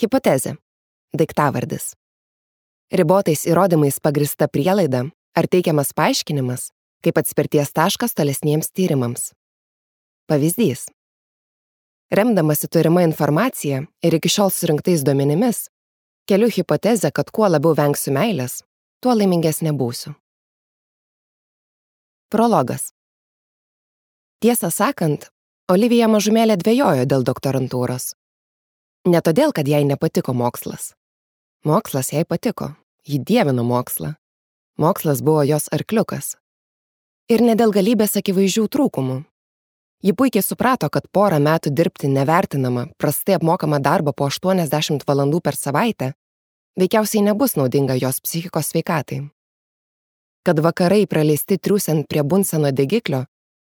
Hipotezė. Daiktavardis. Ribotais įrodymais pagrįsta prielaida ar teikiamas paaiškinimas kaip atspirties taškas tolesniems tyrimams. Pavyzdys. Remdamasi turima informacija ir iki šiol surinktais duomenimis, keliu hipotezę, kad kuo labiau vengsiu meilės, tuo laimingesnė būsiu. Prologas. Tiesą sakant, Olivija mažumėlę dvejojo dėl doktorantūros. Ne todėl, kad jai nepatiko mokslas. Mokslas jai patiko, ji dievino mokslą. Mokslas buvo jos arkliukas. Ir ne dėl galybės akivaizdžių trūkumų. Ji puikiai suprato, kad porą metų dirbti nevertinamą, prastai apmokamą darbą po 80 valandų per savaitę veikiausiai nebus naudinga jos psichikos sveikatai. Kad vakarai praleisti triūsiant prie Bunseno degiklio,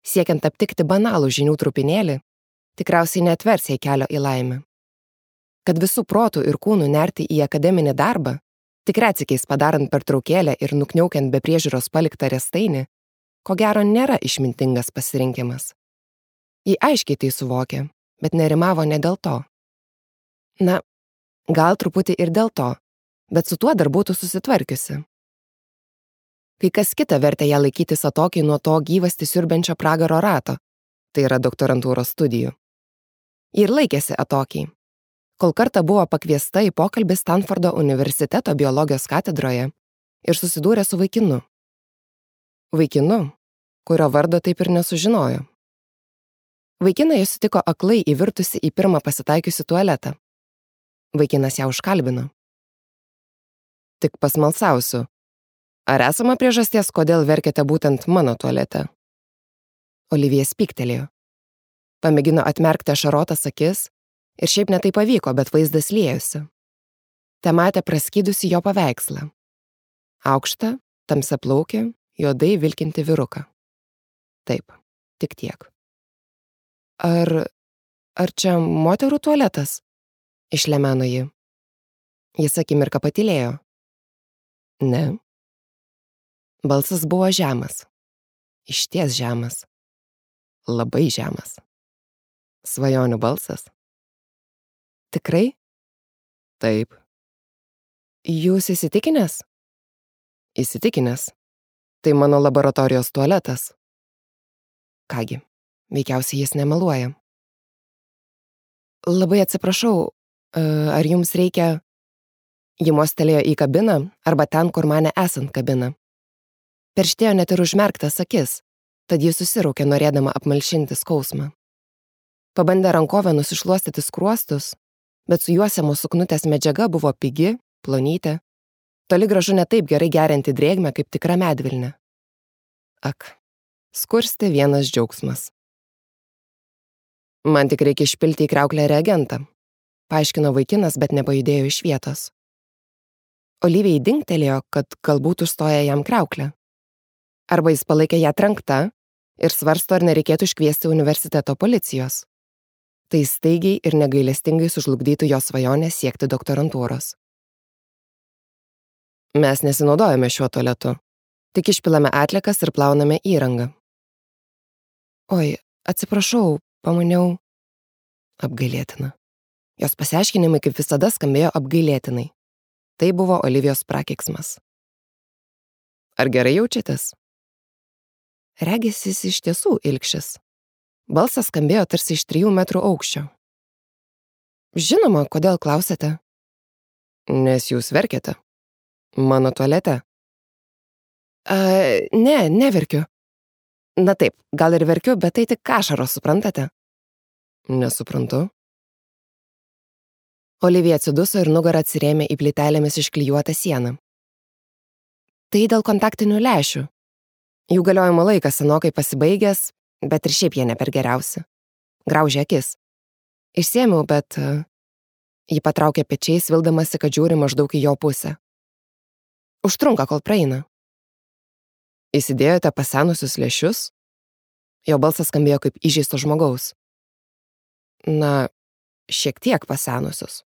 siekiant aptikti banalų žinių trupinėlį, tikriausiai neatvers jai kelio į laimę. Kad visų protų ir kūnų nerti į akademinį darbą, tik retsykiais padarant pertraukėlę ir nukniaukiant be priežiūros paliktą riestainį, ko gero nėra išmintingas pasirinkimas. Ji aiškiai tai suvokė, bet nerimavo ne dėl to. Na, gal truputį ir dėl to, bet su tuo dar būtų susitvarkiusi. Kai kas kita vertė ją laikytis atokiai nuo to gyvastį siurbenčio pragaro rato, tai yra doktorantūros studijų. Ji ir laikėsi atokiai, kol kartą buvo pakviesta į pokalbį Stanfordo universiteto biologijos katedroje ir susidūrė su vaikinu. Vaikinu, kurio vardo taip ir nesužinojo. Vaikiną jis sutiko aklai įvirtusi į pirmą pasitaikiusi tualetą. Vaikinas ją užkalbino. Tik pasmalsausiu. Ar esama priežasties, kodėl verkėte būtent mano tualete? Olivija spyktelėjo. Pamėgino atmerkti ašarotas akis ir šiaip netai pavyko, bet vaizdas liejosi. Te matė praskydusi jo paveikslą. Aukštą, tamsiaplaukį, juodai vilkinti vyruką. Taip, tik tiek. Ar čia moterų tualetas? Išlemeno ji. Jis akimirką patylėjo. Ne. Balsas buvo žemas. Išties žemas. Labai žemas. Svajonių balsas. Tikrai? Taip. Jūs įsitikinęs? Įsitikinęs. Tai mano laboratorijos tualetas. Kągi, veikiausiai jis nemeluoja. Labai atsiprašau, ar jums reikia... Ji mostelėjo į kabiną arba ten, kur mane esant kabiną. Perštėjo net ir užmerktas akis, tad ji susiraukė norėdama apmalšinti skausmą. Pabandė rankovę nusišluostyti skruostus, bet su juosiamo suknutės medžiaga buvo pigi, plonytė, toli gražu ne taip gerai gerianti drėgmę kaip tikra medvilnė. Ak, skursti vienas džiaugsmas. Man tik reikia išpilti į kriauklę reagentą, paaiškino vaikinas, bet nepajudėjo iš vietos. Olivijai dingtelėjo, kad galbūt užstoja jam kriauklę. Arba jis palaikė ją trenktą ir svarsto, ar nereikėtų iškviesti universiteto policijos. Tai staigiai ir negailestingai sužlugdytų jo svajonę siekti doktorantūros. Mes nesinaudojame šiuo tualetu, tik išpilame atliekas ir plauname įrangą. Oi, atsiprašau, pamaniau. Apgailėtina. Jos pasiaiškinimai kaip visada skambėjo apgailėtinai. Tai buvo Olivijos prakeiksmas. Ar gerai jaučiatės? Regis jis iš tiesų ilgšis. Balsas skambėjo tarsi iš 3 metrų aukščio. Žinoma, kodėl klausėte? Nes jūs verkiate. Mano tualete. Ne, neverkiu. Na taip, gal ir verkiu, bet tai tik ašaros, suprantate? Nesuprantu. Olivija atsiduso ir nugarą atsirėmė į plytelėmis išklijuotą sieną. Tai dėl kontaktinių lęšių. Jų galiojimo laikas senokai pasibaigęs, bet ir šiaip jie ne per geriausi. Graužė akis. Išsėmiau, bet... Ji patraukė pečiais, vildamasi, kad žiūri maždaug į jo pusę. Užtrunka, kol praeina. Įsidėjote pasenusius lęšius? Jo balsas skambėjo kaip įžeisto žmogaus. Na, šiek tiek pasenusius.